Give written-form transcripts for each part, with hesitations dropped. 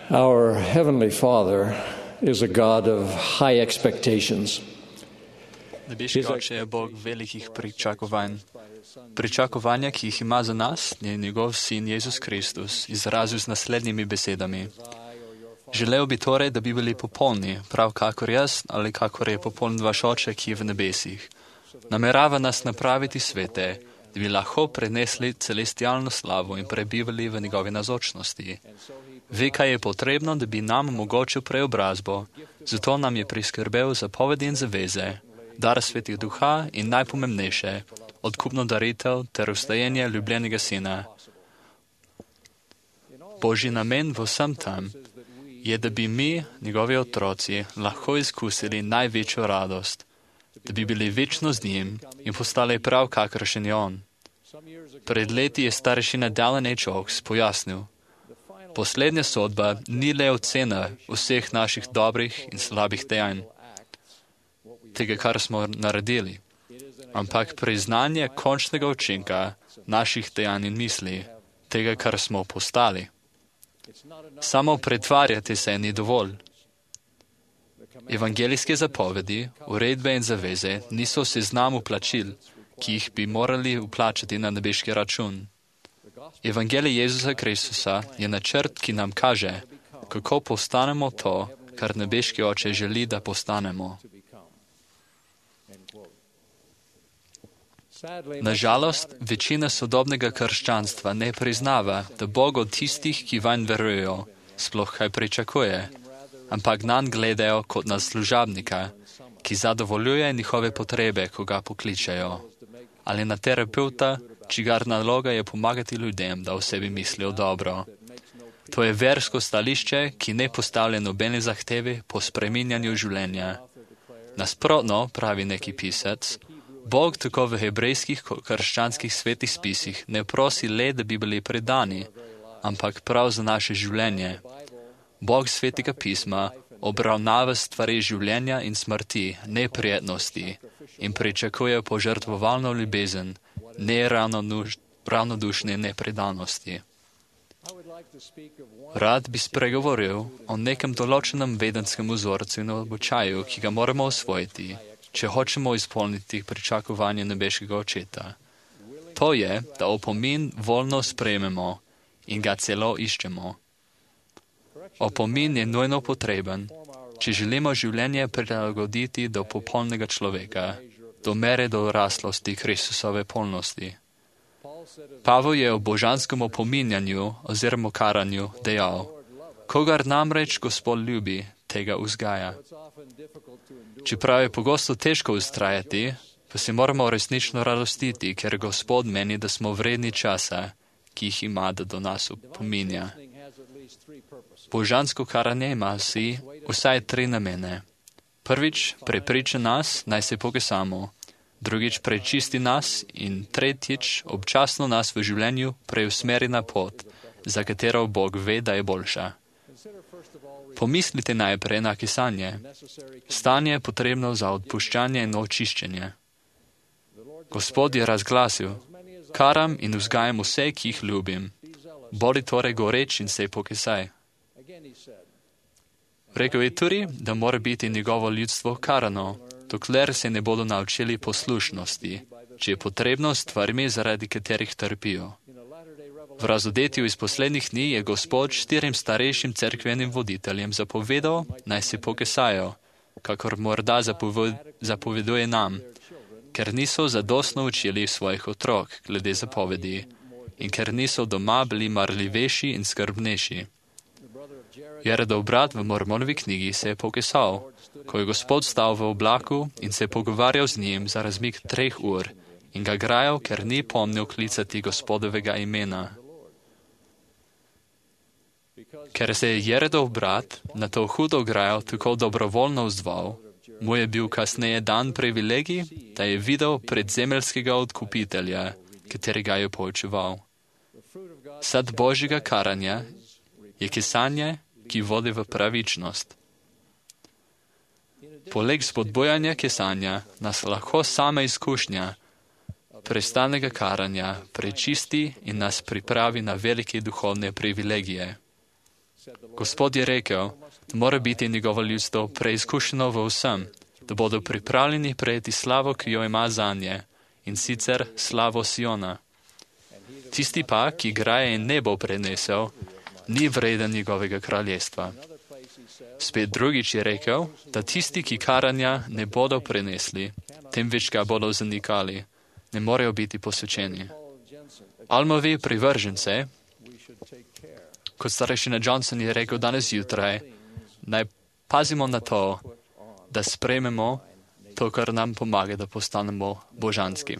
Our Heavenly Father is a God of high expectations. Nebeški Oče je Bog velikih pričakovanj. Pričakovanja, ki jih ima za nas, je njegov sin Jezus Kristus izrazil z naslednjimi besedami. Želel bi torej, da bi bili popolni, prav kakor jaz ali kakor je popoln vaš Oče, ki je v nebesih. Namerava nas napraviti svete, da bi lahko prenesli celestialno slavo in prebivali v njegovi nazočnosti. Ve, kaj je potrebno, da bi nam omogočil preobrazbo, zato nam je priskrbel zapovedi in zaveze, dar svetih duha in najpomembnejše, odkupno daritev ter vstajenje ljubljenega sina. Božji namen v vsem tam je, da bi mi, njegovi otroci, lahko izkusili največjo radost, da bi bili večno z njim in postali prav kakršen je on. Pred leti je starešina Dallin H. Oaks pojasnil: poslednja sodba ni le ocena vseh naših dobrih in slabih dejanj, tega, kar smo naredili, ampak priznanje končnega učinka naših dejanj in misli, tega, kar smo postali. Samo pretvarjati se ni dovolj. Evangelijske zapovedi, uredbe in zaveze niso v seznamu plačil, ki jih bi morali vplačati na nebeški račun. Evangelij Jezusa Kristusa je načrt, ki nam kaže, kako postanemo to, kar nebeški Oče želi, da postanemo. Nažalost, večina sodobnega krščanstva ne priznava, da Bog od tistih, ki vanj verujejo, sploh kaj pričakuje, ampak nanj gledajo kot na služabnika, ki zadovoljuje njihove potrebe, ko ga pokličejo, ali na terapeuta, čigar naloga je pomagati ljudem, da o sebi mislijo dobro. To je versko stališče, ki ne postavlja nobene zahteve po spreminjanju življenja. Nasprotno, pravi neki pisec, Bog tako v hebrejskih krščanskih svetih spisih ne prosi le, da bi bili predani, ampak prav za naše življenje. Bog svetega pisma obravnava stvari življenja in smrti, neprijetnosti in pričakuje požrtvovalno ljubezen, ne ravnodušne nepredanosti. Rad bi spregovoril o nekem določenem vedenskem vzorcu in običaju, ki ga moramo osvojiti, če hočemo izpolniti pričakovanje nebeškega Očeta. To je, da opomin voljno sprejmemo in ga celo iščemo. Opomin je nujno potreben, če želimo življenje prilagoditi do popolnega človeka, do mere doraslosti Kristusove polnosti. Pavel je o božanskem opominjanju oziroma karanju dejal: kogar namreč Gospod ljubi, tega vzgaja. Čeprav je pogosto težko vztrajati, pa se moramo resnično radostiti, ker Gospod meni, da smo vredni časa, ki jih ima, da do nas opominja. Božansko karanje ima si vsaj 3 namene. Prvič, prepriča nas, naj se pokesamo. Drugič, prečisti nas. In tretjič, občasno nas v življenju preusmeri na pot, za katero Bog ve, da je boljša. Pomislite najprej na kesanje. Stanje je potrebno za odpuščanje in očiščenje. Gospod je razglasil: karam in vzgajam vse, ki jih ljubim. Bodi torej goreč in se pokesaj. Rekel je tudi, da mora biti njegovo ljudstvo karano, dokler se ne bodo naučili poslušnosti, če je potrebno stvarmi, zaradi katerih trpijo. V razodetju iz poslednjih dni je Gospod 4 starejšim cerkvenim voditeljem zapovedal, naj se pokesajo, kakor morda zapoveduje nam, ker niso zadostno učili svojih otrok glede zapovedi in ker niso doma bili marljivejši in skrbnejši. Jaredov brat v Mormonovi knjigi se je pokesal, ko je Gospod stal v oblaku in se je pogovarjal z njim za razmik 3 ur in ga grajal, ker ni pomnil klicati Gospodovega imena. Ker se je Jaredov brat na to hudo grajo tako dobrovoljno odzval, mu je bil kasneje dan privilegij, da je videl predzemeljskega odkupitelja, katerega je poučeval. Sad Božjega karanja je kesanje, ki vodi v pravičnost. Poleg spodbujanja kesanja nas lahko sama izkušnja prestanega karanja prečisti in nas pripravi na velike duhovne privilegije. Gospod je rekel, da mora biti njegovo ljudstvo preizkušeno v vsem, da bodo pripravljeni prejeti slavo, ki jo ima zanje, in sicer slavo Siona. Tisti pa, ki graje in ne bo prenesel, ni vreden njegovega kraljestva. Spet drugič je rekel, da tisti, ki karanja, ne bodo prenesli, temveč ga bodo zanikali, ne morejo biti posvečeni. Almovi privržence, kot starešina Johnson je rekel danes jutraj, naj pazimo na to, da sprejmemo to, kar nam pomaga, da postanemo božanski.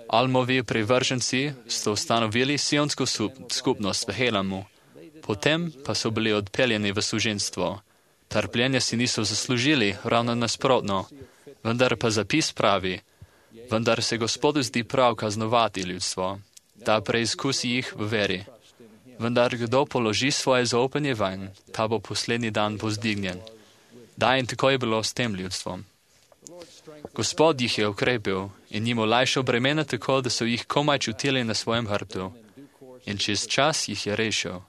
Almovi privrženci so ustanovili sionsko skupnost v Helamu, potem pa so bili odpeljeni v suženstvo. Trpljenja si niso zaslužili, ravno nasprotno, vendar pa zapis pravi, vendar se Gospodu zdi prav kaznovati ljudstvo, da preizkusi jih v veri. Vendar kdo položi svoje zaupanje vanj, ta bo poslednji dan povzdignjen. Da, in tako je bilo s tem ljudstvom. Gospod jih je ukrepil in jim olajšal bremena tako, da so jih komaj čutili na svojem hrbtu. In čez čas jih je rešil.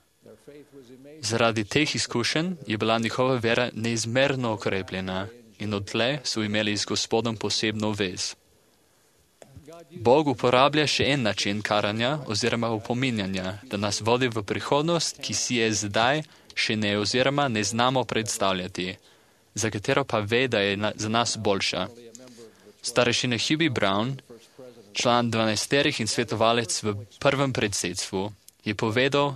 Zaradi teh izkušenj je bila njihova vera neizmerno okrepljena in odtlej so imeli z Gospodom posebno vez. Bog uporablja še en način karanja oziroma opominjanja, da nas vodi v prihodnost, ki si je zdaj še ne oziroma ne znamo predstavljati, za katero pa ve, da je za nas boljša. Starešina Hubie Brown, član 12 in svetovalec v prvem predsedstvu, je povedal,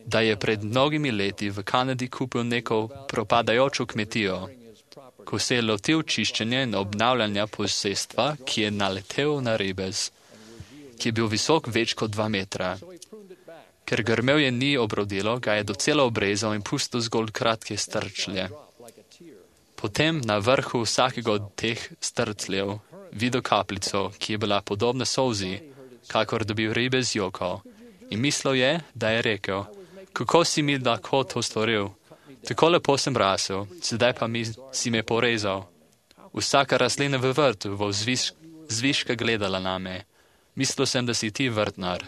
da je pred mnogimi leti v Kanadi kupil neko propadajočo kmetijo. Ko se je lotil čiščenja in obnavljanja posestva, ki je naletel na ribez, ki je bil visok več kot 2 metra. Ker grmevje ni obrodilo, ga je docela obrezal in pustil zgolj kratke strčlje. Potem na vrhu vsakega od teh strcljev videl kapljico, ki je bila podobna solzi, kakor da bi ribez jokal. In mislil je, da je rekel, kako si mi lahko to storil? Tako lepo sem rasel, sedaj pa si me porezal. Vsaka rastlina v vrtu bo zviška gledala name. Mislil sem, da si ti vrtnar.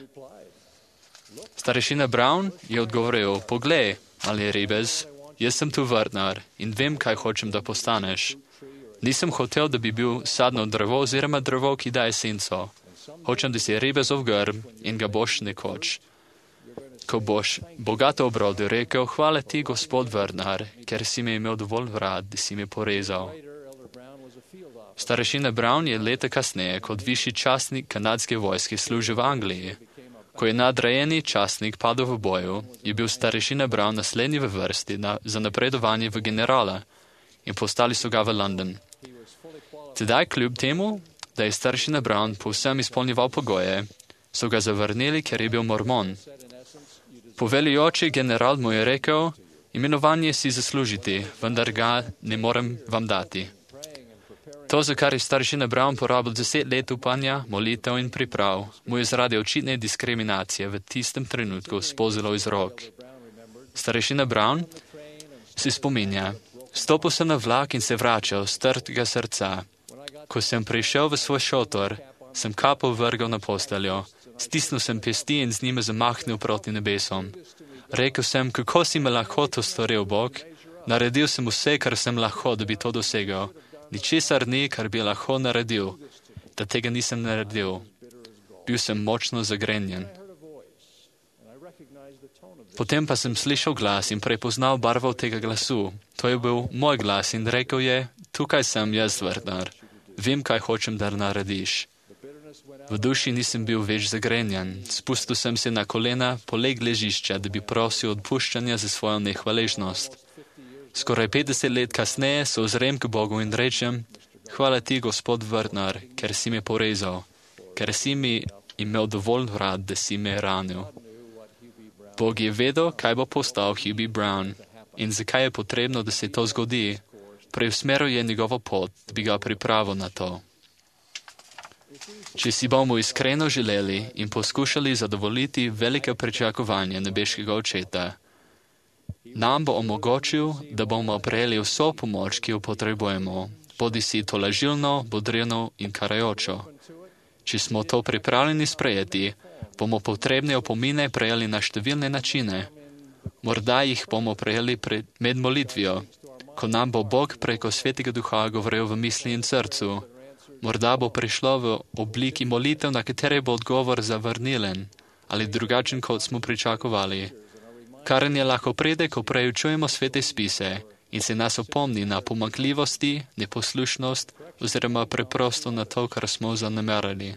Starešina Brown je odgovoril, poglej, ali ribez, jaz sem tu vrtnar in vem, kaj hočem, da postaneš. Nisem hotel, da bi bil sadno drevo oziroma drevo, ki daje senco. Hočem, da si ribezov grm in ga boš nekoč. Ko boš bogato obrodil, rekel, hvala ti, gospod vrtnar, ker si me imel dovolj rad, da si me porezal. Starešina Brown je leta kasneje kot višji častnik kanadske vojske služil v Angliji. Ko je nadrajeni častnik padel v boju, je bil starešina Brown naslednji v vrsti za napredovanje v generala in postali so ga v London. Tedaj kljub temu, da je starešina Brown povsem izpolnjeval pogoje, so ga zavrnili, ker je bil mormon. Poveljujoči general mu je rekel, imenovanje si zaslužiti, vendar ga ne morem vam dati. To, za kar je starešina Brown porabil 10 let upanja, molitev in priprav, mu je zaradi očitne diskriminacije v tistem trenutku spozilo iz rok. Starešina Brown se spominja, stopil sem na vlak in se vračal z trdega srca. Ko sem prišel v svoj šotor, sem kapo vrgal na posteljo. Stisnil sem pesti in z njime zamahnil proti nebesom. Rekel sem, kako si me lahko to storil, Bog? Naredil sem vse, kar sem lahko, da bi to dosegel. Ničesar ni, kar bi lahko naredil, da tega nisem naredil. Bil sem močno zagrenjen. Potem pa sem slišal glas in prepoznal barvo tega glasu. To je bil moj glas in rekel je, tukaj sem jaz, vrtnar. Vem, kaj hočem, da narediš. V duši nisem bil več zagrenjen. Spustil sem se na kolena poleg ležišča, da bi prosil odpuščanja za svojo nehvaležnost. Skoraj 50 let kasneje se ozrem k Bogu in rečem, hvala ti, gospod vrtnar, ker si me porezal, ker si mi imel dovolj rad, da si me ranil. Bog je vedel, kaj bo postal Hubie Brown in zakaj je potrebno, da se to zgodi. Preusmeril je njegovo pot, da bi ga pripravil na to. Če si bomo iskreno želeli in poskušali zadovoljiti velike pričakovanja nebeškega očeta, nam bo omogočil, da bomo prejeli vso pomoč, ki jo potrebujemo, bodi si tolažilno, bodrino in karajočo. Če smo to pripravljeni sprejeti, bomo potrebne opomine prejeli na številne načine. Morda jih bomo prejeli med molitvijo, ko nam bo Bog preko Svetega Duha govoril v misli in srcu. Morda bo prišlo v obliki molitev, na katere bo odgovor zavrnilen ali drugačen, kot smo pričakovali. Karanje lahko pride, ko preučujemo svete spise in se nas opomni na pomanjkljivosti, neposlušnost oziroma preprosto na to, kar smo zanemarili.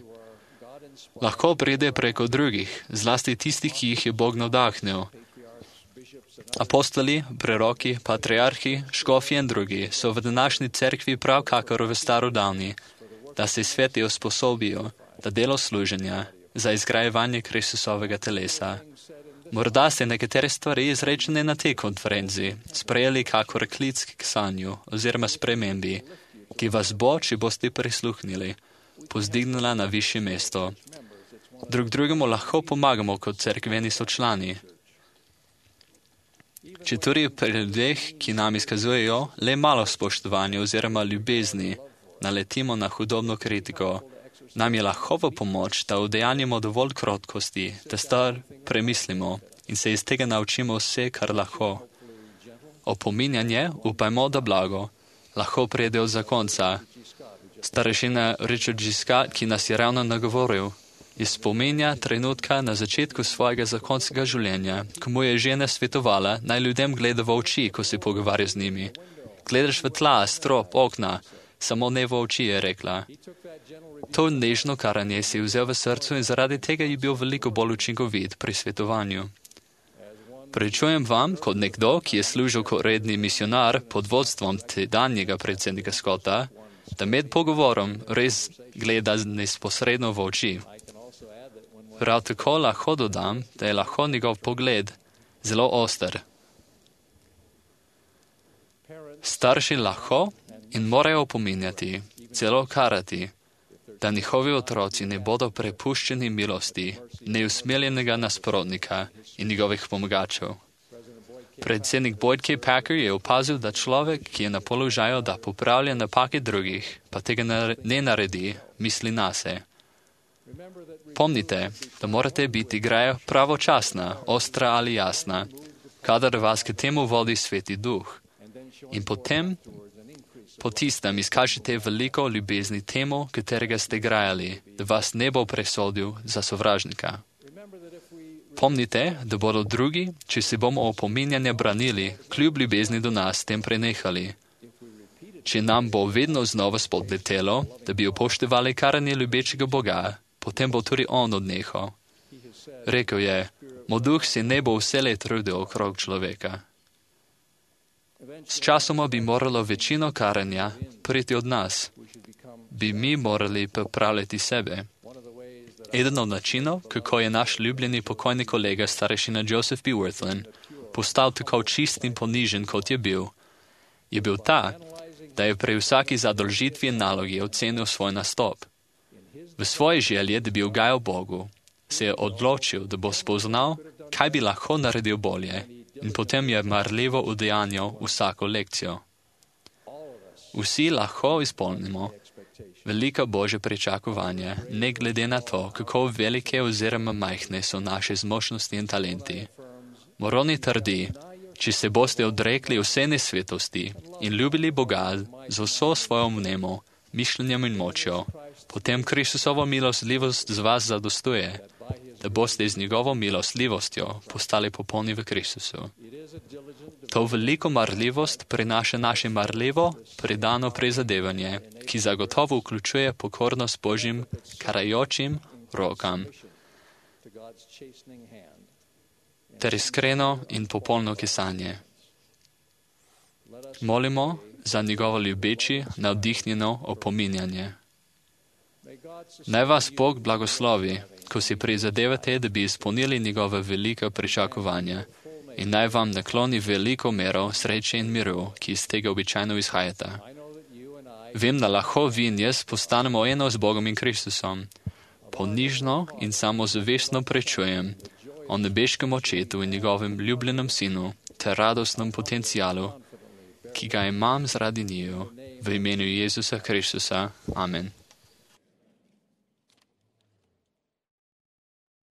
Lahko pride preko drugih, zlasti tistih, ki jih je Bog navdahnil. Apostoli, preroki, patriarhi, škofje in drugi so v današnji cerkvi prav kakor v starodavni, da se sveti usposobijo za delo služenja, za izgrajevanje Kristusovega telesa. Morda ste nekatere stvari izrečene na tej konferenci sprejeli kakor klic k sanju oziroma spremembi, ki vas bo, če boste prisluhnili, pozdignila na višje mesto. Drug drugemu lahko pomagamo kot cerkveni sočlani. Če tudi pri ljudeh, ki nam izkazujejo le malo spoštovanja oziroma ljubezni, naletimo na hudobno kritiko, nam je lahko v pomoč, da udejanjimo dovolj krotkosti, da stvar premislimo in se iz tega naučimo vse, kar lahko. Opominjanje, upajmo, da blago, lahko pride od zakonca. Starešina Richard G. Scott, ki nas je ravno nagovoril, je spominja trenutka na začetku svojega zakonskega življenja, ko mu je žena svetovala, naj ljudem gleda v oči, ko se pogovarja z njimi. Gledaš v tla, strop, okna, samo ne v oči, je rekla. To nežno karanje si je vzel v srcu in zaradi tega je bil veliko bolj učinkovit pri svetovanju. Pričujem vam, kot nekdo, ki je služil kot redni misionar pod vodstvom tedanjega predsednika Scotta, da med pogovorom res gleda neposredno v oči. Prav tako lahko dodam, da je lahko njegov pogled zelo oster. Starši lahko in morajo opominjati, celo karati, da njihovi otroci ne bodo prepuščeni milosti neusmiljenega nasprotnika in njegovih pomagačev. Predsednik Boyd K. Packer je opazil, da človek, ki je na položaju, da popravlja napake drugih, pa tega ne naredi, misli nase. Pomnite, da morate biti graja pravočasna, ostra ali jasna, kadar vas k temu vodi Sveti Duh. In potem, po tistem, izkažite veliko ljubezni temu, katerega ste grajali, da vas ne bo presodil za sovražnika. Pomnite, da bodo drugi, če se bomo opominjanja branili, kljub ljubezni do nas, tem prenehali. Če nam bo vedno znova spodletelo, da bi upoštevali karanje ljubečega Boga, potem bo tudi on odnehal. Rekel je, moj duh se ne bo vselej trudil okrog človeka. S časoma bi moralo večino karanja priti od nas. Bi mi morali popravljati sebe. Eden od načinov, kako je naš ljubljeni pokojni kolega starešina Joseph B. Wirthlin postal tako čist in ponižen, kot je bil ta, da je pri vsaki zadolžitvi in nalogi ocenil svoj nastop. V svoji želji, da bi ugajal Bogu, se je odločil, da bo spoznal, kaj bi lahko naredil bolje, in potem je marljivo udejanjal vsako lekcijo. Vsi lahko izpolnimo velika Božja pričakovanja, ne glede na to, kako velike oziroma majhne so naše zmožnosti in talenti. Moroni trdi, če se boste odrekli vse nesvetosti in ljubili Boga z vso svojo vnemo, mišljenjem in močjo, potem Kristusovo milostljivost z vas zadostuje, da boste z njegovo milostljivostjo postali popolni v Kristusu. To veliko marljivost prinaša naše marljivo, predano prizadevanje, ki zagotovo vključuje pokornost Božjim karajočim rokam, ter iskreno in popolno kesanje. Molimo za njegovo ljubeči, navdihnjeno opominjanje. Naj vas Bog blagoslovi, ko si prizadevate, da bi izpolnili njegove velika pričakovanja, in naj vam nakloni veliko mero sreče in miru, ki iz tega običajno izhajata. Vem, da lahko vi in jaz postanemo eno z Bogom in Kristusom. Ponižno in samozavestno prečujem o nebeškem očetu in njegovem ljubljenem sinu ter radostnem potencialu, ki ga imam zaradi njiju, v imenu Jezusa Kristusa. Amen.